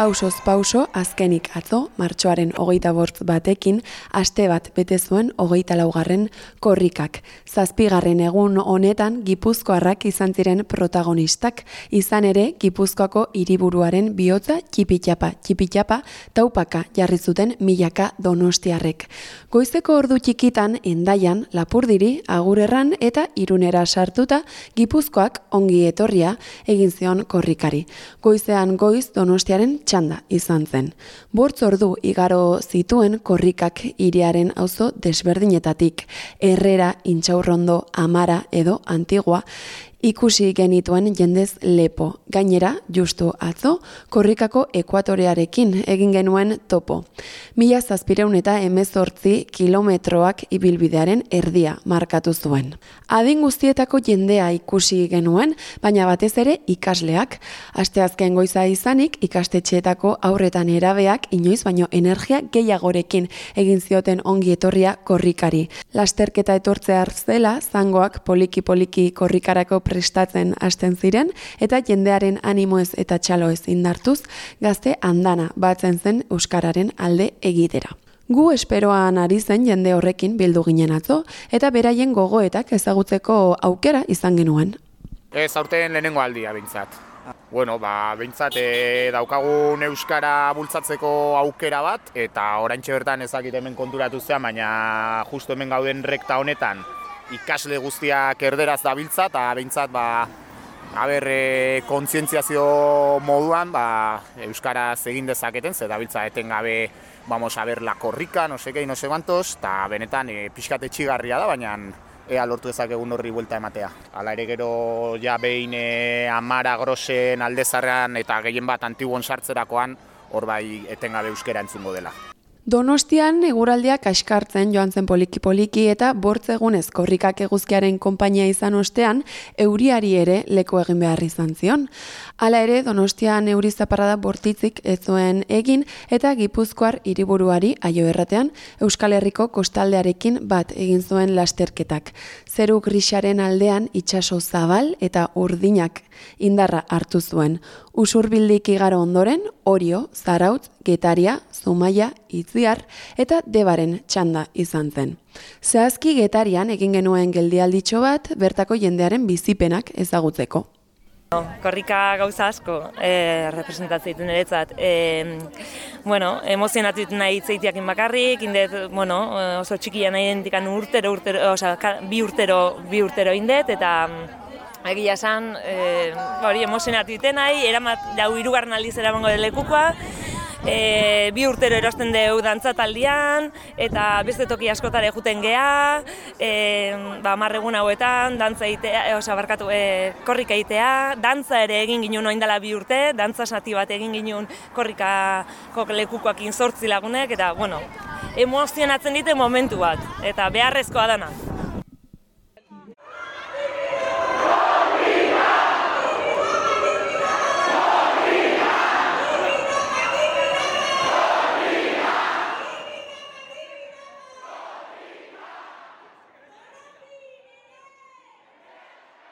Pausoz pauso, azkenik atzo, martxoaren 25 batekin, aste bat bete zuen 24. korrikak. 7. egun honetan Gipuzkoarrak izan ziren protagonistak, izan ere Gipuzkoako hiriburuaren bihotza txipitxapa, taupaka jarri zuten milaka donostiarrek. Goizeko ordu txikitan Hendaian, Lapurdiri, Agurerran eta Irunera sartuta, Gipuzkoak ongi etorria egin zion korrikari. Goizean goiz Donostiaren txanda izan zen. 5 ordu igaro zituen korrikak hiriaren auzo desberdinetatik, Herrera, Intxaurrondo, Amara edo Antigua, ikusi genituen jendez lepo. Gainera, justu atzo, korrikako ekuatorearekin egin genuen topo. 1718 kilometroak ibilbidearen erdia markatu zuen. Adin guztietako jendea ikusi genuen, baina batez ere ikasleak. Asteazken goiza izanik, ikastetxeetako aurretan erabeak inoiz baino energia gehiagorekin egin zioten ongi etorria korrikari. Lasterketa etortzea zela, zangoak poliki-poliki korrikarako prestatzen hasten ziren, eta jendearen animoez eta txaloez indartuz, gazte andana batzen zen euskararen alde egitera. Gu esperoan ari zen jende horrekin bildu ginen atzo, eta beraien gogoetak ezagutzeko aukera izan genuen. Ez aurten lehenengo aldia behintzat. Behintzat daukagun euskara bultzatzeko aukera bat, eta oraintxe bertan ezakit hemen konturatu zean, baina justu hemen gauden rekta honetan ikasle guztiak erderaz dabiltza, eta behintzat kontzientziazio moduan euskaraz egin dezaketen, ze dabiltza etengabe vamos a ver la korrika, no sé qué, no sé cuantos, eta benetan pixkat etxigarria da, baina ea lortu dezakegun horri buelta ematea. Hala ere gero ja behin Amara, Grosen, Aldezarrean eta gehien bat Antiguon sartzerakoan hor bai etengabe euskera entzungo dela. Donostian eguraldiak kaskartzen joan zen poliki-poliki eta 5 egunez korrikak eguzkiaren konpainia izan ostean, euriari ere leku egin behar izan zion. Hala ere, Donostian euri zaparrada bortitzik ez zuen egin eta Gipuzkoar hiriburuari Aio erratean Euskal Herriko kostaldearekin bat egin zuen lasterketak. Zeru grisaren aldean itsaso zabal eta urdinak indarra hartu zuen. Usurbildik igaro ondoren, Orio, Zarautz, Getaria, Zumaia, Itziar eta Debaren txanda izan zen. Zehazki Getarian egin genuen geldialditxo bat bertako jendearen bizipenak ezagutzeko. Korrika gauza asko representatzen ditu niretzat. Emozionatu ditu nahi itzeitiakin bakarrik, oso txikia nahi identikan bi urtero indet, eta egia esan, emozionatu ditu nahi, jau 3. aldiz eramango lekukoa, 2 urtero erosten deu dantzataldian, eta beste toki askotare juten gea, 10 egun hauetan, korrika egitea, dantza ere egin ginen oindala 2 urte, dantza sati bat egin ginen korrikako lekukoakin 8 lagunek, eta emozionatzen dite momentu bat, eta beharrezkoa dana.